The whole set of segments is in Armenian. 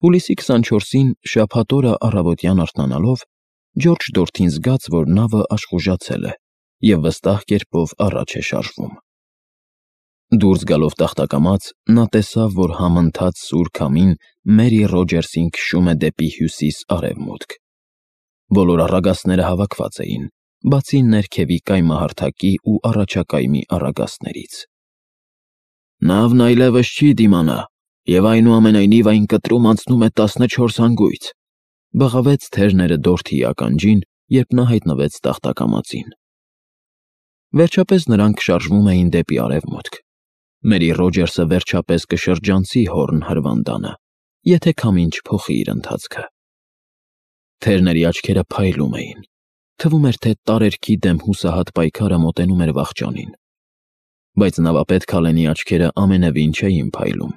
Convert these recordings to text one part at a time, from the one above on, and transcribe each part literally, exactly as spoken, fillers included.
Հուլիսի քսանչորսին շաբաթ օրը առավոտյան արթնանալով Ջորջը Դորթին զգաց, որ նավը աշխուժացել է և վստահ կերպով առաջ է շարժվում։ Դուրս գալով տախտակամած, նա տեսավ, որ համընթաց սուր քամին Մերի Ռոջերսին քշում է դեպի հյուսիս֊արևմուտք։ Բոլոր առագաստները հավաքված էին, բացի ներքևի կայմահարթակի ու առաջակայմի առագաստներից։ Նավն այլևս չի դիմանա, և այնուամենայնիվ այն կտրում անցնում է տասնչորս հանգույց, բղավեց թերները Դորթիի ականջին, երբ նա հայտնվեց տախտակամածին։ Վերջապես նրանք շարժվում էին դեպի արևմուտք։ Մերի Ռոջերսը վերջապես կշրջանցի Հորն հրվանդանը, եթե քամին չփոխի իր ընթացքը։ Թերների աչքերը փայլում էին։ Թվում էր, թե տարերքի դեմ հուսահատ պայքարը մոտենում էր վախճանին։ Բայց նավապետ Քալենի աչքերը ամենևին չէին փայլում։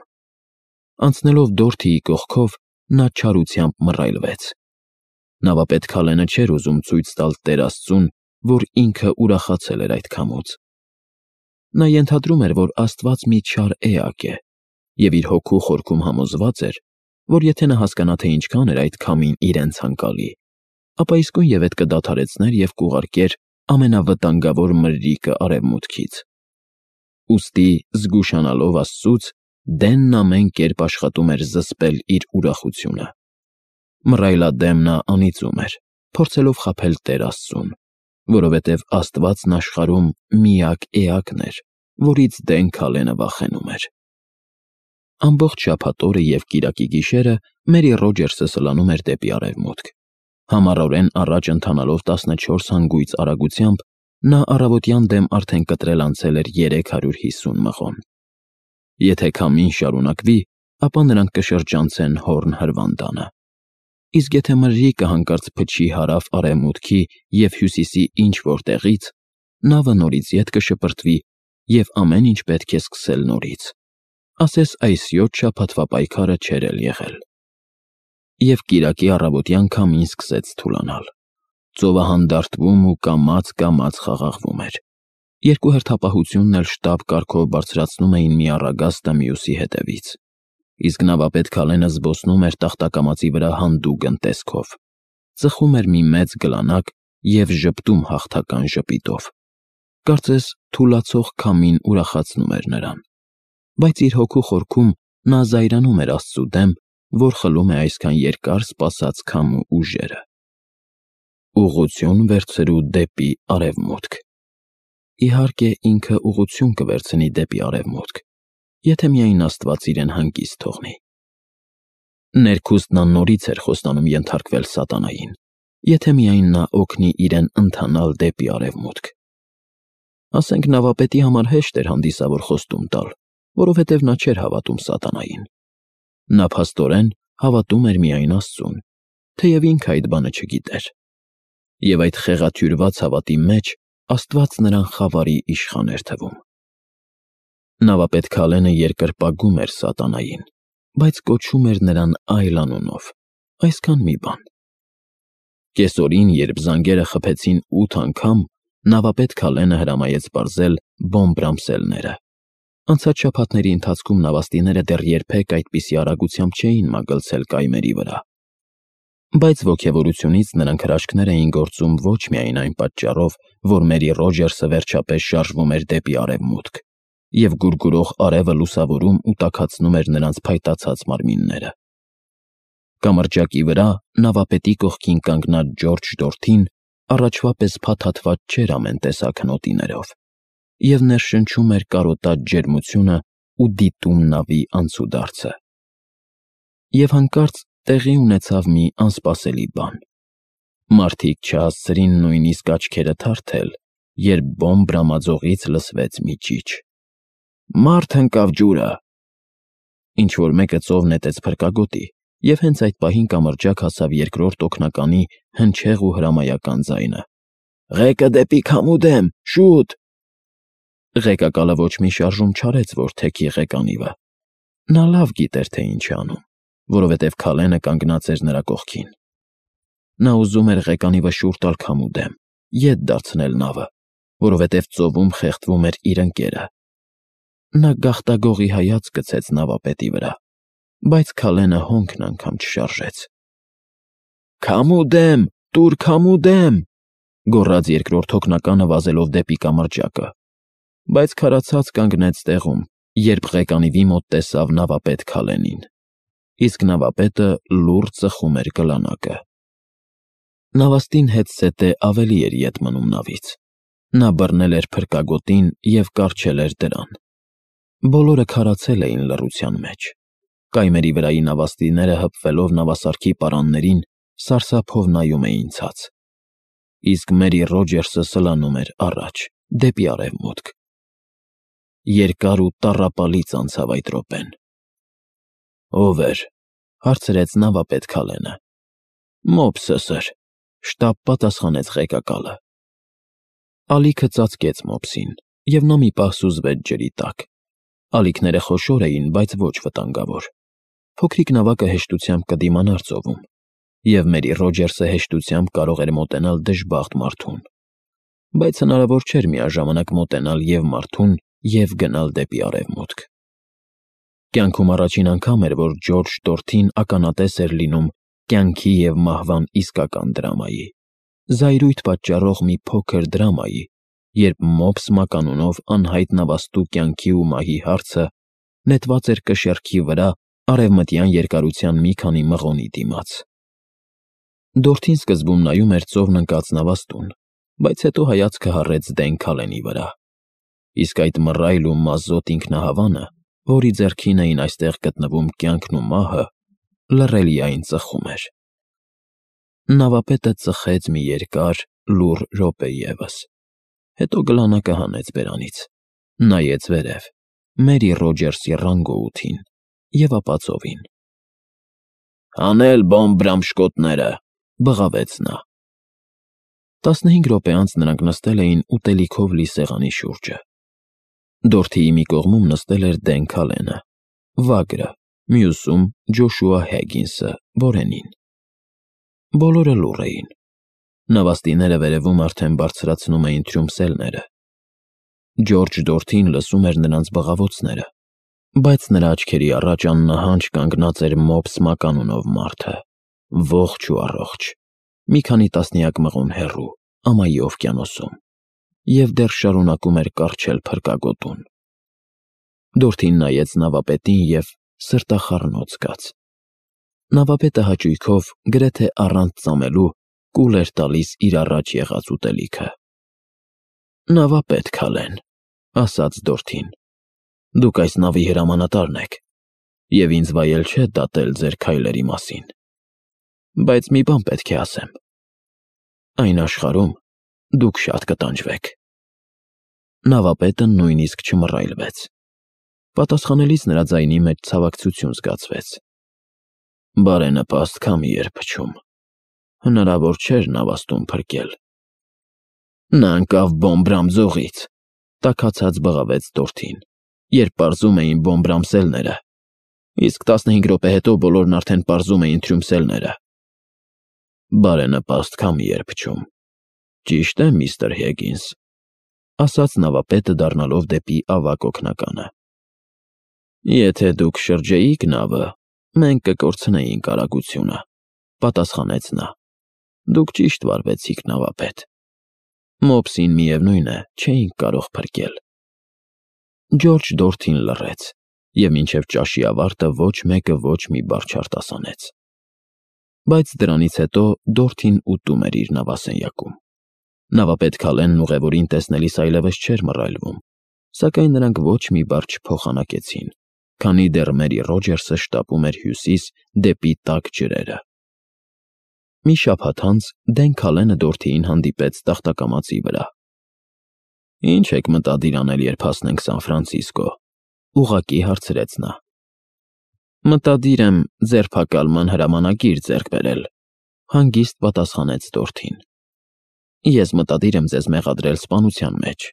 Անցնելով Դորթիի կողքով, նա չարությամբ մռայլվեց։ Նավապետ Քալենը չէր ուզում ցույց տալ Տեր Աստծուն, որ ինքը ուրախացել էր այդ քամուց։ Նա ենթադրում էր, որ Աստված մի չար էակ է, և իր հոգու խորքում համոզված էր, որ եթե նա հասկանա, թե ինչքան էր այդ քամին իրեն ցանկալի, ապա իսկույնևեթ կդադարեցներ և կուղարկեր ամենավտանգավոր մրրիկը արևմուտքից։ Ուստի, զգուշանալով Աստծուց, Դենն ամեն կերպ աշխատում էր զսպել իր ուրախությունը։ Մռայլադեմ նա անիծում էր, փորձելով խաբել Տեր Աստծուն, որովհետև Աստվածն աշխարհում միակ էակն էր, որից Դեն Քալենը վախենում էր։ Ամբողջ շաբաթ օրը և կիրակի գիշերը Մերի Ռոջերսը սլանում էր դեպի արևմուտք։ Համառորեն առաջ ընթանալով տասնչորս հանգույց արագությամբ, նա առավոտյան դեմ արդեն կտրել անցել էր երեք հարյուր հիսուն մղոն։ Եթե քամին շարունակվի, ապա նրանք կշրջանցեն Հորն հրվանդանը։ Իսկ եթե մրրիկը հանկարծ փչի հարավ-արևմուտքի և հյուսիսի ինչ-որ տեղից, նավը նորից ետ կշպրտվի, և ամեն ինչ պետք է սկսել նորից, ասես այս յոթ շաբաթվա պայքարը չէր էլ եղել։ Եվ կիրակի առավոտյան քամին սկսեց թուլանալ։ Ծովը հանդարտվում ու կամաց-կամաց խաղաղվում էր։ Երկու հերթապահությունն էլ շտապ կարգով բարձրացնում էին մի առագաստը մյուսի հետևից, իսկ նավապետ Քալենը զբոսնում էր տախտակամածի վրա հանդուգն տեսքով, ծխում էր մի մեծ գլանակ և ժպտում հաղթական ժպիտով։ Կարծես թուլացող քամին ուրախացնում էր նրան, բայց իր հոգու խորքում նա զայրանում էր Աստծու դեմ, որ խլում է այսքան երկար սպասած քամու ուժերը։ Ուղղություն վերցրու դեպի արևմուտք։ Իհարկե, ինքը ուղղություն կվերցնի դեպի արևմուտք, եթե միայն Աստված իրեն հանգիստ թողնի։ Ներքուստ նա նորից էր խոստանում ենթարկվել սատանային, եթե միայն նա օգնի իրեն ընթանալ դեպի արևմուտք։ Ասենք նավապետի համար հեշտ էր հանդիսավոր խոստում տալ, որովհետև նա չէր հավատում սատանային։ Նա փաստորեն հավատում էր միայն Աստծուն, թեև ինքը այդ բանը չգիտեր։ Եվ այդ խեղաթյուրված հավատի մեջ Աստված նրան խավարի իշխան էր թվում։ Նավապետ Քալենը երկրպագում էր սատանային, բայց կոչում էր նրան այլ անունով, այսքան մի բան։ Կեսօրին, երբ զանգերը խփեցին ութ անգամ, նավապետ Քալենը հրամայեց պարզել բոմբրամսելները։ Անցած շաբաթների ընթացքում նավաստիները դեռ երբեք այդպիսի արագությամբ չէին մագլցել կայմերի վրա։ Բայց ոգևորությունից նրանք հրաշքներ էին գործում ոչ միայն այն պատճառով, որ Մերի Ռոջերսը վերջապես շարժվում էր դեպի արևմուտք, և գուրգուրող արևը լուսավորում ու տաքացնում էր նրանց փայտացած մարմինները։ Կամրջակի վրա նավապետի կողքին կանգնած Ջորջ Դորթին առաջվա պես փաթաթված չէր ամեն տեսակ հնոտիներով, և ներշնչում էր կարոտած ջերմությունը ու դիտում նավի անցուդարձը։ Եվ հանկարծ տեղի ունեցավ մի անսպասելի բան։ Մարդիկ չհասցրին նույնիսկ աչքերը թարթել, երբ բոմբրամաձողից լսվեց մի ճիչ. «Մարդ ընկավ ջուրը»։ Ինչ-որ մեկը ծով նետեց փրկագոտի, և հենց այդ պահին կամրջակ հասավ երկրորդ օգնականի հնչեղ ու հրամայական ձայնը. «Ղեկը դեպի քամու դեմ, շուտ»։ Ղեկակալը ոչ մի շարժում չարեց, որ թեքի ղեկանիվը։ Նա լավ գիտեր, թե ինչ է անում, որովհետև Քալենը կանգնած էր նրա կողքին։ Նա ուզում էր ղեկանիվը շուռ տալ քամու դեմ, ետ դարձնել նավը, որովհետև ծովում խեղդվում էր իր ընկերը։ Նա գաղտագողի հայացք գցեց նավապետի վրա, բայց Քալենը հոնքն անգամ չշարժեց։ «Քամու դեմ, տուր քամու դեմ», գոռաց երկրորդ հոգնականը վազելով դեպի կամրջակը, բայց քարացած կանգնեց տեղում, երբ ղեկանիվի մոտ տեսավ նավապետ Քալենին, իսկ նավապետը լուռ ծխում էր գլանակը։ Նավաստին հետզհետե ավելի էր ետ մնում նավից։ Նա բռնել էր փրկագոտին և կառչել էր դրան։ Բոլորը քարացել էին լռության մեջ։ Կայմերի վրայի նավաստիները հպվելով նավասարքի պարաններին սարսափով նայում էին ցած, իսկ Մերի Ռոջերսը սլանում էր առաջ, դեպի արևմուտք։ Երկար ու տառապալից անցավ այդ րոպեն։ «Ո՞վ էր,» հարցրեց նավապետ Քալենը։ «Մոպսը, սըր», շտապ պատասխանեց ղեկակալը։ Ալիքը ծածկեց մոպսին, և նա մի պահ սուզվեց ջրի տակ։ Ալիքները խոշոր էին, բայց ոչ վտանգավոր։ Փոքրիկ նավակը հեշտությամբ կդիմանար ծովում, և Մերի Ռոջերսը հեշտությամբ կարող էր մոտենալ դժբախտ մարդուն, բայց հնարավոր չէր միաժամանակ մոտենալ և մարդուն, և գնալ դեպի արևմուտք։ Կյանքում առաջին անգամ էր, որ Ջորջ Դորթին ականատես էր լինում կյանքի և մահվան իսկական դրամայի, զայրույթ պատճառող մի փոքր դրամայի, երբ մոպս մականունով անհայտ նավաստու կյանքի ու մահի հարցը նետված էր կշեռքի վրա արևմտյան երկարության մի քանի մղոնի դիմաց։ Դորթին սկզբում նայում էր ծովն ընկած նավաստուն, բայց հետո հայացքը հառեց Դեն Քալենի վրա, իսկ այդ մռայլ ու մազոտ ինքնահավանը, որի ձեռքին էին այստեղ գտնվում կյանքն ու մահը, լռելիայն ծխում էր։ Նավապետը ծխեց մի երկար, լուռ րոպե ևս, հետո գլանակը հանեց բերանից, նայեց վերև, Մերի Ռոջերսի ռանգոութին, և ապա ծովին։ «Հանել բոմբ֊բռամշկոտները», բղավեց նա։ Տասնհինգ րոպե անց նրանք նստել էին ուտելիքով լի սեղանի շուրջը։ Դորթիի մի կողմում նստել էր Դեն Քալենը, վագրը, մյուսում՝ Ջոշուա Հեգինսը, որենին։ Բոլորը լուռ էին։ Նավաստիները վերևում արդեն բարձրացնում էին թրյումսելները։ Ջորջ Դորթին լսում էր նրանց բղավոցները, բայց նրա աչքերի առաջ աննահանջ կանգնած էր մոպս մականունով մարդը, ողջ ու առողջ, մի քանի տասնյակ մղոն հեռու, ամայի օվկիանոսում, և դեռ շարունակում էր կառչել փրկագոտուն։ Դորթին նայեց նավապետին և սրտախառնոց զգաց։ Նավապետը հաճույքով, գրեթե առանց ծամելու, կուլ էր տալիս իր առաջ եղած ուտելիքը։ «Նավապետ Քալեն», ասաց Դորթին, «դուք այս նավի հրամանատարն եք, և ինձ վայել չէ դատել ձեր քայլերի մասին, բայց մի բան պետք է ասեմ. այն աշխարհում դուք շատ կտանջվեք»։ Նավապետը նույնիսկ չմռայլվեց։ Պատասխանելիս նրա ձայնի մեջ ցավակցություն զգացվեց։ «Բարենպաստ քամի էր փչում, հնարավոր չէր նավաստուն փրկել»։ «Նա ընկավ բոմբ-բռամ ձողից», տաքացած բղավեց Դորթին, «երբ պարզում էին բոմբ-բռամսելները, իսկ տասնհինգ րոպե հետո բոլորն արդեն պարզում էին թրյումսելները»։ «Բարենպաստ քամի էր փչում, ճիշտ է, միստր Հեգինս», ասաց նավապետը դառնալով դեպի ավագ օգնականը։ «Եթե դուք շրջեիք նավը, մենք կկորցնեինք արագությունը», պատասխանեց նա։ «Դուք ճիշտ վարվեցիք, նավապետ։ Մոպսին, միևնույն է, չէինք կարող փրկել»։ Ջորջ Դորթին լռեց, և մինչև ճաշի ավարտը ոչ մեկը ոչ մի բառ չարտասանեց։ Բայց դրանից հետո Դորթին ուտում էր իր նավասենյակում։ Նավապետ Քալենն ուղևորին տեսնելիս այլևս չէր մռայլվում, սակայն նրանք ոչ մի բառ չփոխանակեցին, քանի դեռ Մերի Ռոջերսը շտապում էր հյուսիս դեպի տաք ջրերը։ Մի շաբաթ անց Դեն Քալենը Դորթիին հանդիպեց տախտակամածի վրա։ «Ի՞նչ եք մտադիր անել, երբ հասնենք Սան Ֆրանցիսկո», ուղղակի հարցրեց նա։ «Մտադիր եմ ձերբակալման հրամանագիր ձեռք բերել», հանգիստ պատասխանեց Դորթին։ «Ես մտադիր եմ ձեզ մեղադրել սպանության մեջ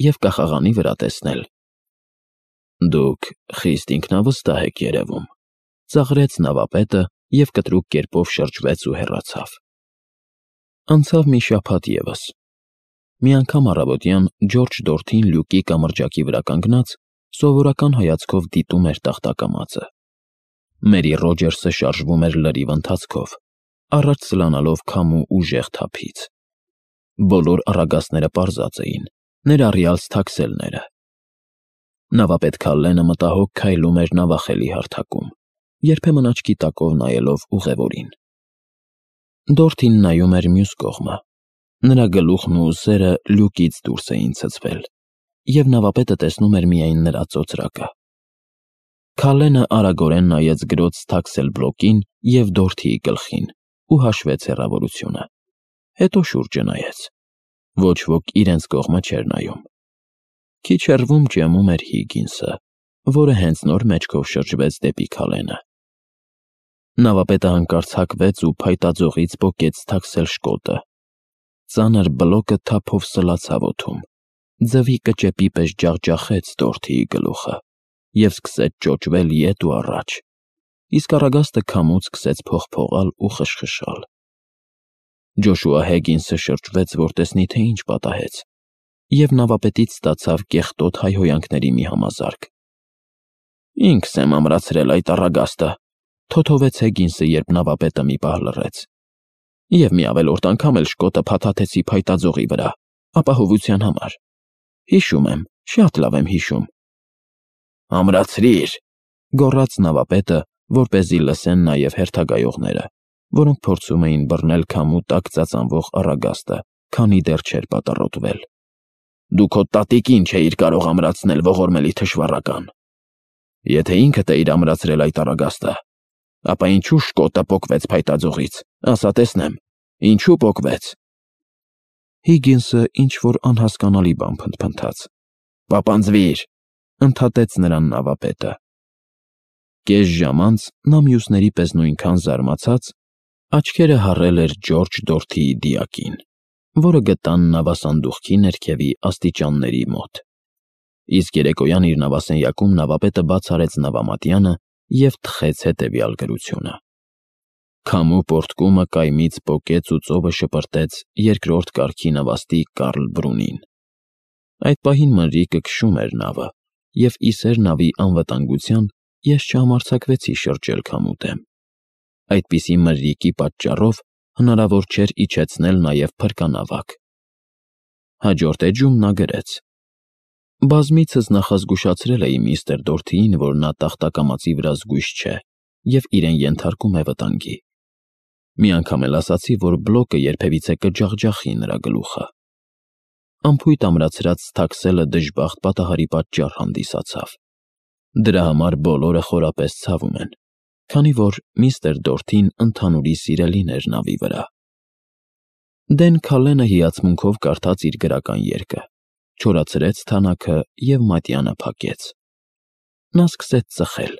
և կախաղանի վրա տեսնել»։ «Դուք խիստ ինքնավստահ եք երևում», ծաղրեց նավապետը և կտրուկ կերպով շրջվեց ու հեռացավ։ Անցավ մի շաբաթ ևս։ Մի անգամ առավոտյան Ջորջ Դորթին լյուկի կամրջակի վրա կանգնած, սովորական հայացքով դիտում էր տախտակամածը։ Մերի Ռոջերսը շարժվում էր լրիվ ընթացքով, առաջ սլանալով քամու ուժեղ թափից։ Բոլոր առագաստները պարզած էին, ներառյալ սթաքսելները։ Նավապետ Քալլենը մտահոգ քայլում էր նավախելի հարթակում, երբեմն աչքի տակով նայելով ուղևորին։ Դորթին նայում էր մյուս կողմը։ Նրա գլուխն ու ուսերը լյուկից դուրս էին ցցվել, և նավապետը տեսնում էր միայն նրա ծոծրակը։ Քալլենը արագորեն նայեց գրոց սթաքսել բլոկին և Դորթիի գլխին ու հաշվեց հեռավորությունը։ Հետո շուրջը նայեց։ Ոչ ոք իրենց կողմը չէր նայում։ Քիչ հեռվում ճեմում էր Հիգինսը, որը հենց նոր մեջքով շրջվեց դեպի Քալլենը։ Նավապետը հանկարծ հակվեց ու փայտաձողից պոկեց սթաքսել շկոտը։ Ծանր բլոկը թափով սլացավ օդում, ձվի կճեպի պես ջախջախեց Դորթիի գլուխը և սկսեց ճոճվել ետ ու առաջ, իսկ առագաստը քամուց սկսեց փողփողալ ու խշխշալ։ Ջոշուա Հեգինսը շրջվեց, որ տեսնի, թե ինչ պատահեց, և նավապետից ստացավ կեղտոտ հայհոյանքների մի համազարկ։ «Ինքս եմ ամրացրել այդ առագաստը», թոթովեց Հեգինսը, երբ նավապետը մի պահ լռեց։ «Եվ մի ավելորդ անգամ էլ շկոտը փաթաթեցի փայտաձողի վրա, ապահովության համար։ Հիշում եմ, շատ լավ եմ հիշում»։ «Ամրացրի՛ր», գոռաց նավապետը, որպեսզի լսեն նաև հերթագայողները, որոնք փորձում էին բռնել քամու տակ ծածանվող առագաստը, քանի դեռ չէր պատառոտվել։ «Դու քո տատիկին չէիր կարող ամրացնել, ողորմելի թշվառական։ Եթե ինքդ էիր ամրացրել այդ առագաստը, ապա ինչու շկոտը պոկվեց փայտաձողից, ասա տեսնեմ, ինչու պոկվեց»։ Հիգինսը ինչ-որ անհասկանալի բան փնթփնթաց։ «Պապանձվիր», ընդհատեց նրան նավապետը։ Կես ժամ անց նա մյուսների պես նույնքան զարմացած աչքերը հառել էր Ջորջ Դորթիի դիակին, որը գտան նավասանդուղքի ներքևի աստիճանների մոտ։ Իսկ երեկոյան իր նավասենյակում նավապետը բաց արեց նավամատյանը և թխեց հետևյալ գրությունը. «Քամու պոռթկումը կայմից պոկեց ու ծովը շպրտեց երկրորդ կարգի նավաստի Կարլ Բրունին։ Այդ պահին մրրիկը քշում էր նավը, և ի սեր նավի անվտանգության ես չհամարձակվեցի շրջել քամու դեմ։ Այդպիսի մրրիկի պատճառով հնարավոր չէր իջեցնել նաև փրկանավակ»։ Հաջորդ էջում նա գրեց. «Բազմիցս նախազգուշացրել էի միստր Դորթիին, որ նա տախտակամածի վրա զգույշ չէ և իրեն ենթարկում է վտանգի։ Մի անգամ էլ ասացի, որ բլոկը երբևիցե կջախջախի նրա գլուխը։ Անփույթ ամրացրած սթաքսելը դժբախտ պատահարի պատճառ հանդիսացավ։ Դրա համար բոլորը խորապես ցավում են, քանի որ միստր Դորթին ընդհանուրի սիրելին էր նավի վրա»։ Դեն Քալլենը հիացմունքով կարդաց իր գրական երգը, չորացրեց թանաքը և մատյանը փակեց։ Նա սկսեց ծխել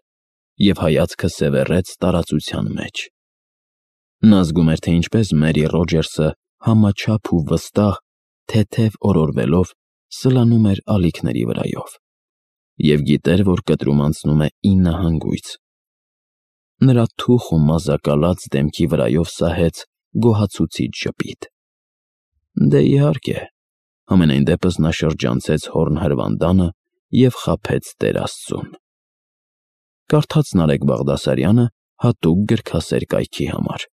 և հայացքը սևեռեց տարածության մեջ։ Նա զգում էր, թե ինչպես Մերի Ռոջերսը համաչափ ու վստահ, թեթև օրորվելով սլանում էր ալիքների վրայով, և գիտեր, որ կտրում անցնում է ինը հանգույց։ Նրա թուխ ու մազակալած դեմքի վրայով սահեց գոհացուցիչ ժպիտ։ Դե, իհարկե, համենայն դեպս նա շրջանցեց հորն հրվանդանը և խաբեց Տեր Աստծուն։ Կարդաց Նարեկ Բաղդասարյանը հատուկ գրքասեր կայքի համար։